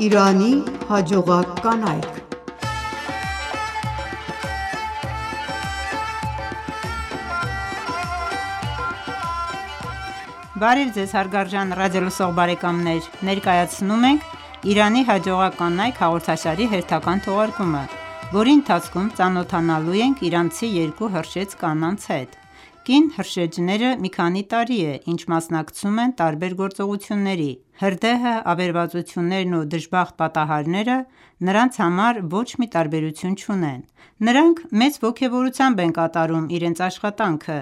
Իրանի հաջողակ կանայք։ Բարև ձեզ հարգարժան ռադիոլսող բարեկամներ: Ներկայացնում ենք «Իրանի հաջողակ կանայք» հաղորդաշարի հերթական թողարկումը, որի ընթացքում ծանոթանալու ենք իրանցի երկու հրշեջ կանանց հետ: Կին հրշեջները մի քանի տարի է, ինչ մասնակցում են տարբեր գործողությունների: Հրդեհը, ավերածություններն ու դժբախտ պատահարները նրանց համար ոչ մի տարբերություն չունեն: Նրանք մեծ ոգևորությամբ են կատարում իրենց աշխատանքը: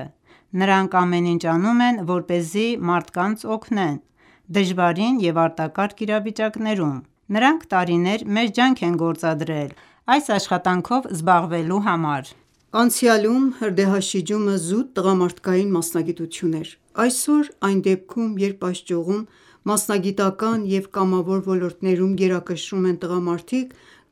Նրանք ամեն ինչ անում են, որպեսզի մարդկանց օգնեն դժվարին և արտակարգ իրավիճակներում: Նրանք տարիներ մեծ ջանք են գործադրել այս աշխատանքով զբաղվելու համար: Անցյալում հրդեհաշիջումը զուտ տղամարդկային մասնագիտություն էր: Այսօր այն դեպքում, երբ այս ճյուղում մասնագիտական և կամավոր ոլորտներում գերակշռում են տղամարդիկ,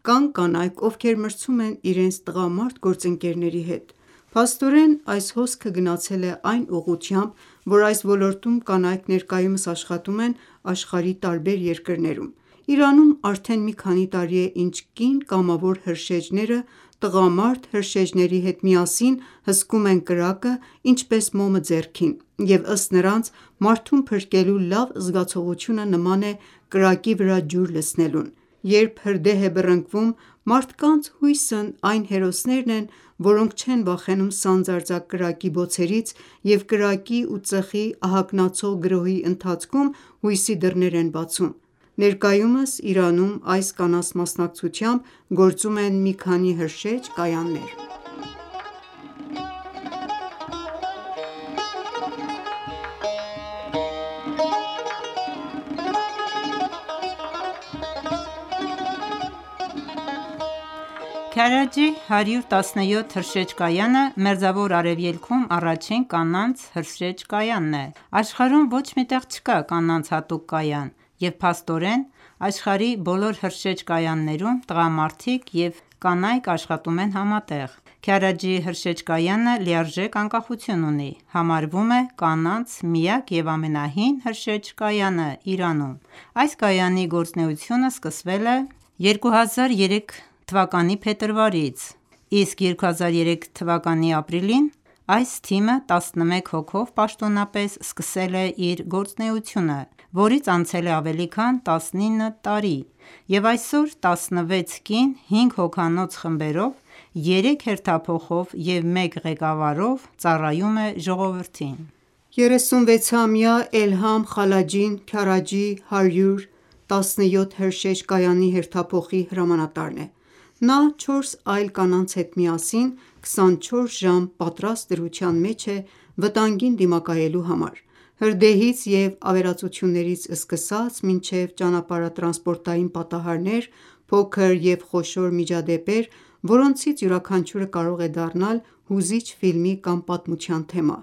կան կանայք, ովքեր մրցում են իրենց տղամարդ գործընկերների հետ: Փաստորեն, այս հոսքը գնացել է այն ուղղությամբ, որ այս ոլորտում կանայք ներկայումս աշխատում են աշխարհի տարբեր երկրներում: Իրանում արդեն մի քանի տարի է, ինչ կին կամավոր հրշեջները տղամարդ հրշեջների հետ միասին հսկում են կրակը ինչպես մոմը ձեռքին և ըստ նրանց, մարդում փրկելու լավ զգացողությունը նման է կրակի վրա ջուր լցնելուն: Երբ հրդեհ է բռնկվում, մարդկանց հույսն այն հերոսներն են, որոնք չեն վախենում սանձարձակ կրակի բոցերից և կրակի ու ծխի ահագնացող գրոհի ընթացքում հույսի դռներ են բացում: Ներկայումս Իրանում այս կանանց մասնակցությամբ գործում են մի քանի հրշեջ կայաններ: Քարաջի 117 հրշեջ կայանը Մերձավոր Արևելքում առաջին կանանց հրշեջ կայանն է: Աշխարհում ոչ մի տեղ չկա կանանց հատուկ կայան և փաստորեն աշխարհի բոլոր հրշեջ կայաններում տղամարդիկ և կանայք աշխատում են համատեղ: Քարաջի հրշեջ կայանը լիարժեք անկախություն ունի: Համարվում է կանանց միակ և ամենահին հրշեջ կայանը Իրանում: Այս կայանի գործունեությունը սկսվել է 2003 թվականի փետրվարից, իսկ 2003 թվականի ապրիլին այս թիմը 11 հոգով պաշտոնապես սկսել է իր գործունեությունը, որից անցել է ավելի քան 19 տարի և այսօր 16 կին 5 հոգանոց խմբերով, 3 հերթափոխով և 1 ղեկավարով ծառայում է ժողովրդին: 36-ամյա Էլհամ Խալաջին Քարաջի 117 հրշեջ կայանի հերթափոխի հրամանատարն է: Նա 4 այլ կանանց հետ միասին 24 ժամ պատրաստ դրության մեջ է վտանգին դիմակայելու համար: Հրդեհից և ավերածություններից սկսած մինչև ճանապարհատրանսպորտային պատահարներ, փոքր և խոշոր միջադեպեր, որոնցից յուրաքանչյուրը կարող է դառնալ հուզիչ ֆիլմի կամ պատմության թեմա: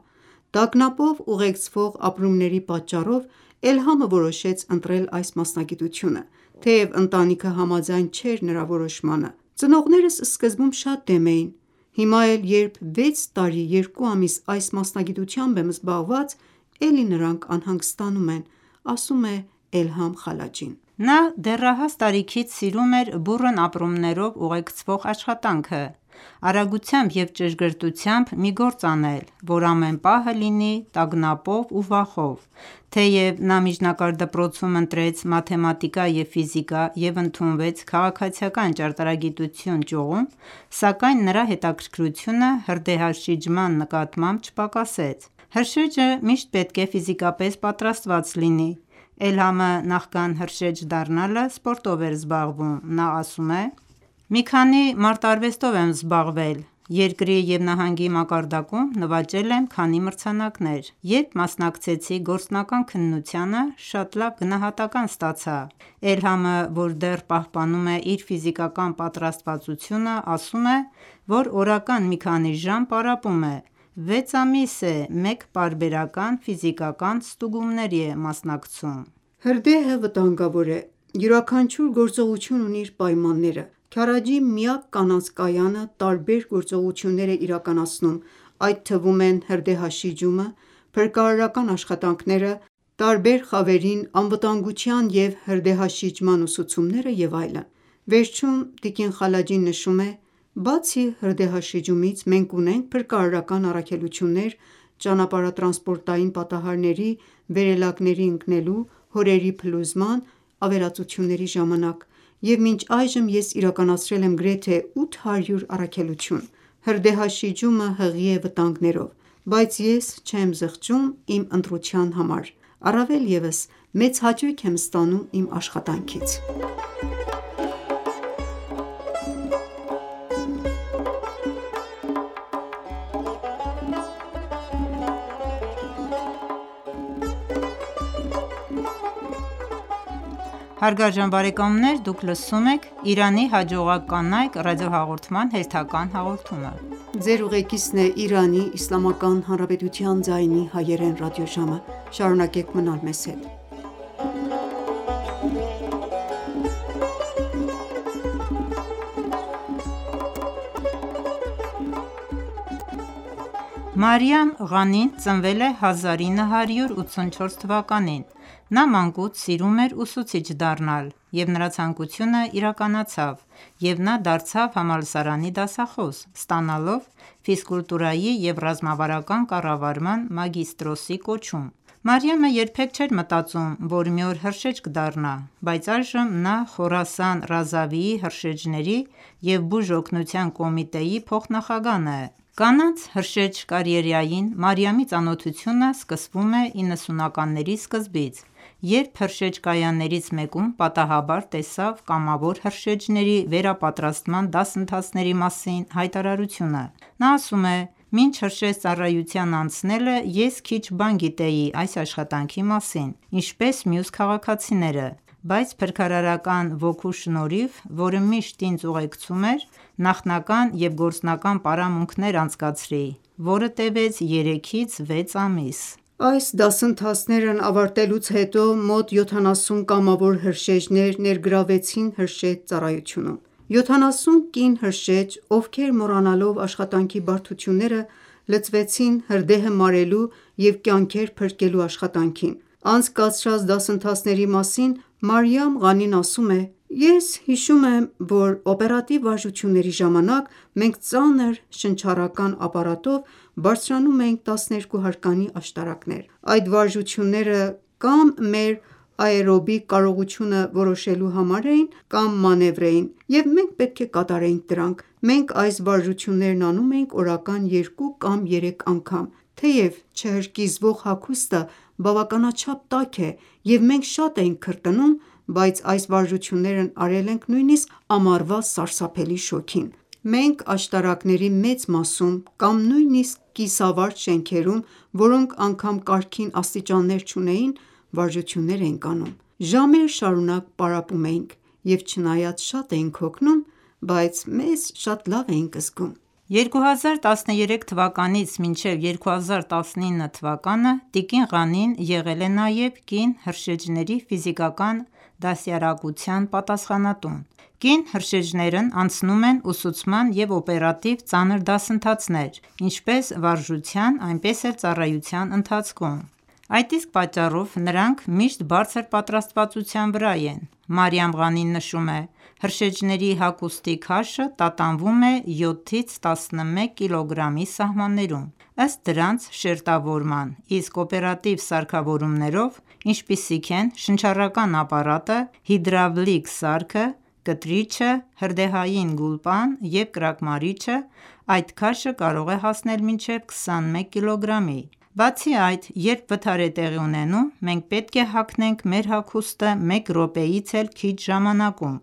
Տագնապով ուղեկցվող ապրումների պատճառով Էլհամը որոշեց ընտրել այս մասնագիտությունը, թեև ընտանիքը համաձայն չէր նրա որոշմանը: Ծնողներս սկզբում շատ դեմ էին: Հիմա էլ երբ 6 տարի 2 ամիս այս մասնագիտությամբ եմ զբաղված, էլի նրանք անհանգստանում են: Ասում է Էլհամ Խալաջին: Նա դեռահաս տարիքից սիրում էր բուռն ապրումներով ուղեկցվող աշխատանքը: Արագությամբ և ճշգրտությամբ մի գործ անել, որ ամեն պահը լինի տագնապով ու վախով: Թեև նա միջնակարգ դպրոցում ընտրեց մաթեմատիկա և ֆիզիկա և ընդունվեց քաղաքացիական ճարտարագիտություն ճյուղում, սակայն նրա հետաքրքրությունը հրդեհաշիջման նկատմամբ չպակասեց: Հրշեջը միշտ պետք է ֆիզիկապես պատրաստված լինի: Էլհամը նախքան հրշեջ դառնալը սպորտով էր զբաղվում: Նա ասում է. «Մի քանի մարտարվեստով եմ զբաղվել: Երկրի և նահանգի մակարդակում նվաճել եմ քանի մրցանակներ: Երբ մասնակցեցի գործնական քննությանը, շատ լավ գնահատական ստացա»: Էլհամը, որ դեռ պահպանում է իր ֆիզիկական պատրաստվածությունը, ասում է, որ օրական մի քանի ժամ պարապում է: 6 ամիս է մեկ պարբերական ֆիզիկական ստուգումների է մասնակցում: Հրդեհը վտանգավոր է: Յուրաքանչյուր գործողություն ունի իր պայմանները: Քարաջի միակ կանանց կայանը տարբեր գործողություններ է իրականացնում, այդ թվում են հրդեհաշիջումը, փրկարարական աշխատանքները, տարբեր խավերին անվտանգության և հրդեհաշիջման ուսուցումները և այլն: Վերջում տիկին Խալաջին նշում է. «Բացի հրդեհաշիջումից, մենք ունենք փրկարարական առաքելություններ ճանապարհատրանսպորտային պատահարների, վերելակների ընկնելու, հորերի փլուզման, ավերածությունների ժամանակ, և մինչ այժմ ես իրականացրել եմ գրեթե 800 առաքելություն: Հրդեհաշիջումը հղի է վտանգներով, բայց ես չեմ զղջում իմ ընտրության համար, առավել ևս մեծ հաճույք եմ ստանում իմ աշխատանքից»: Մարիամ Ղանին ծնվել է 1984 թվականին: Նա մանկուց սիրում էր ուսուցիչ դառնալ, և նրա ցանկությունը իրականացավ, և նա դարձավ համալսարանի դասախոս, ստանալով ֆիզկուլտուրայի և ռազմավարական կառավարման մագիստրոսի կոչում: Մարիամը երբեք չէր մտածում, որ մի օր հրշեջ կդառնա, բայց այժմ նա Խորասան Ռազավիի հրշեջների և բուժօգնության կոմիտեի փոխնախագահն է: Կանանց հրշեջ կարիերային Մարիամի ծանոթությունը սկսվում է 90-ականների սկզբից, երբ հրշեջ կայաններից մեկում պատահաբար տեսավ կամավոր հրշեջների վերապատրաստման դասընթացների մասին հայտարարությունը: Նա ասում է. «Մինչ հրշեջ ծառայության անցնելը ես քիչ բան գիտեի այս աշխատանքի մասին, ինչպես մյուս քաղաքացիները, բայց փրկարարական ոգու շնորհիվ, որը միշտ ինձ ուղեկցում էր, նախնական և գործնական պարամունքներ անցկացրի, որը տևեց 3-6 ամիս»: Այս դասընթացներն ավարտելուց հետո մոտ 70 կամավոր հրշեջներ ներգրավվեցին հրշեջ ծառայությունում: 70 կին հրշեջ, ովքեր մոռանալով աշխատանքի բարդությունները, լծվեցին հրդեհը մարելու և կյանքեր փրկելու աշխատանքին: Անցկացրած դասընթացների մասին Մարիամ Ղանին ասում է. «Ես հիշում եմ, որ օպերատիվ վարժությունների ժամանակ մենք ծանր շնչառական ապարատով բարձրանում էինք 12 հարկանի աշտարակներ: Այդ վարժությունները կամ մեր աէրոբիկ կարողությունը որոշելու համար էին, կամ մանևր էին, և մենք պետք է կատարեինք դրանք: Մենք այս վարժություններն անում էինք օրական 2 կամ 3 անգամ: Թեև չհրկիզվող հագուստը բավականաչափ տաք է և մենք շատ էինք քրտնում, բայց այս վարժություններն արել ենք նույնիսկ ամառվա սարսափելի շոգին: Մենք աշտարակների մեծ մասում կամ նույնիսկ կիսավարդ շենքերում, որոնք անգամ կարգին աստիճաններ չունեին, վարժություններ էինք անում: Ժամեր շարունակ պարապում էինք և չնայած շատ էինք հոգնում, բայց մեզ շատ լավ էինք զգում»: 2013 թվականից մինչև 2019 թվականը տիկին Ղանին եղել է նաև կին հրշեջների ֆիզիկական դաստիարակության պատասխանատուն: Կին հրշեջներն անցնում են ուսուցման և օպերատիվ ծանր դասընթացներ, ինչպես վարժության, այնպես էլ ծառայության ընթացքում: Այդ իսկ պատճառով նրանք միշտ բարձր պատրաստվածության վրա են: Մարիամ Ղանին նշում է. «Հրշեջների հագուստի քաշը տատանվում է 7-11 կգ-ի սահմաններում, ըստ դրանց շերտավորման, իսկ օպերատիվ սարքավորումներով, ինչպիսիք են շնչառական ապարատը, հիդրավլիկ սարքը, կտրիչը, հրդեհային գուլպան և կրակմարիչը, այդ քաշը կարող է հասնել մինչև 21 կգ-ի: Բացի այդ, երբ վթար է տեղի ունենում, մենք պետք է հագնենք մեր հագուստը մեկ րոպեից էլ քիչ ժամանակում,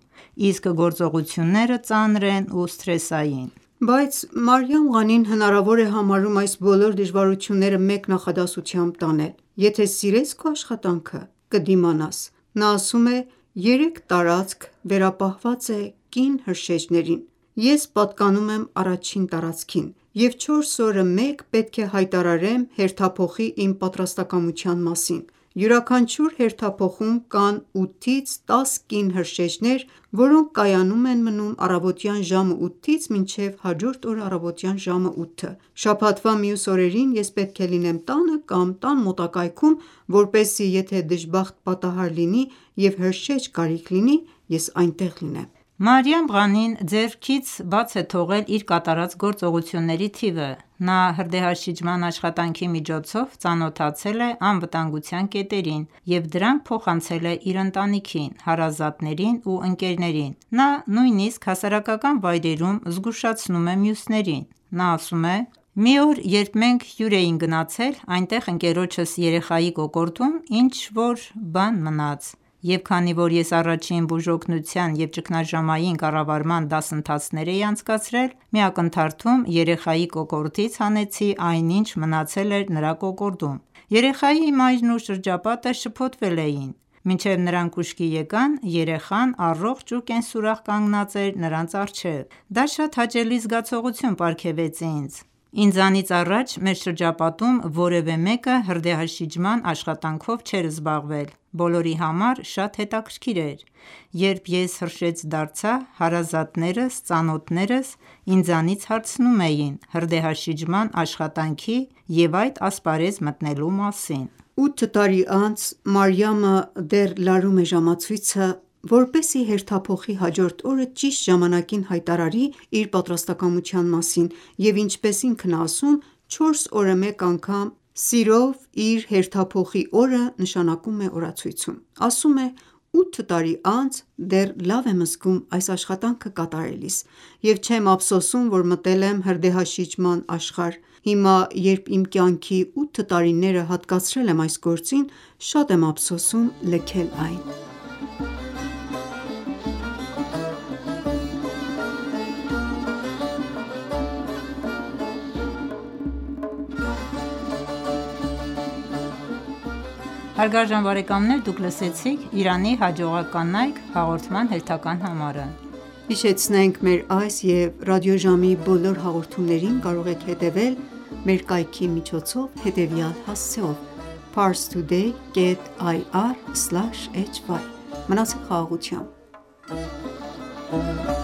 իսկ գործողությունները ծանր են ու սթրեսային»: Բայց Մարիամ Ղանին հնարավոր է համարում այս բոլոր դժվարությունները մեկ նախադասությամբ տանել. «Եթե սիրես քո աշխատանքը, կդիմանաս»: Նա ասում է. «3 տարածք վերապահված է կին հրշեջներին: Ես պատկանում եմ առաջին տարածքին և 4 օրը մեկ պետք է հայտարարեմ հերթափոխի իմ պատրաստակամության մասին: Յուրաքանչյուր հերթափոխում կան 8-ից 10 կին հրշեջներ, որոնք կայանում են մնում առավոտյան ժամը 8-ից մինչև հաջորդ օրը առավոտյան ժամը 8: Շաբաթվա մյուս օրերին ես պետք է լինեմ տանը կամ տան մոտակայքում, որպեսզի եթե դժբախտ պատահար լինի և հրշեջ կարիք լինի, ես այնտեղ լինեմ»: Մարիամ Ղանին ձեռքից բաց է թողել իր կատարած գործողությունների թիվը: Նա հրդեհաշիջման աշխատանքի միջոցով ծանոթացել է անվտանգության կետերին և դրանք փոխանցել է իր ընտանիքին, հարազատներին ու ընկերներին: Նա նույնիսկ հասարակական վայրերում զգուշացնում է մյուսներին: Նա ասում է. «Մի օր երբ մենք հյուր էինք գնացել, այնտեղ ընկերոջս երեխայի կոկորդում ինչ-որ բան մնաց, և քանի որ ես առաջին բուժօգնության և ճգնաժամային կառավարման դասընթացներ էի անցկացրել, մի ակնթարթում երեխայի կոկորդից հանեցի այն ինչ մնացել էր նրա կոկորդում: Երեխայի մայրն ու շրջապատը շփոթվել էին: Մինչև նրանք ուշքի եկան, երեխան առողջ ու կենսուրախ կանգնած էր նրանց առջև: Դա շատ հաճելի զգացողություն պարգևեց ինձ: Ինձանից առաջ մեր շրջապատում որևէ մեկը հրդեհաշիջման աշխատանքով չէր զբաղվել: Բոլորի համար շատ հետաքրքիր էր: Երբ ես հրշեջ դարձա, հարազատներս, ծանոթներս ինձանից հարցնում էին հրդեհաշիջման աշխատանքի և այդ ասպարեզ մտնելու մասին»: 8 տարի անց Մարիամը դեռ լարում է ժամացույցը, որպեսզի հերթափոխի հաջորդ օրը ճիշտ ժամանակին հայտարարի իր պատրաստակամության մասին և ինչպես ինքն է ասում, 4 օրը մեկ անգամ սիրով իր հերթափոխի օրը նշանակում է օրացույցում: Ասում է. «8 տարի անց դեռ լավ եմ զգում այս աշխատանքը կատարելիս և չեմ ափսոսում, որ մտել եմ հրդեհաշիջման աշխարհ: Հիմա երբ իմ կյանքի 8 տարիները հատկացրել եմ այս գործին, շատ եմ ափսոսում լքել այն»: Մնացեք խաղաղությամբ: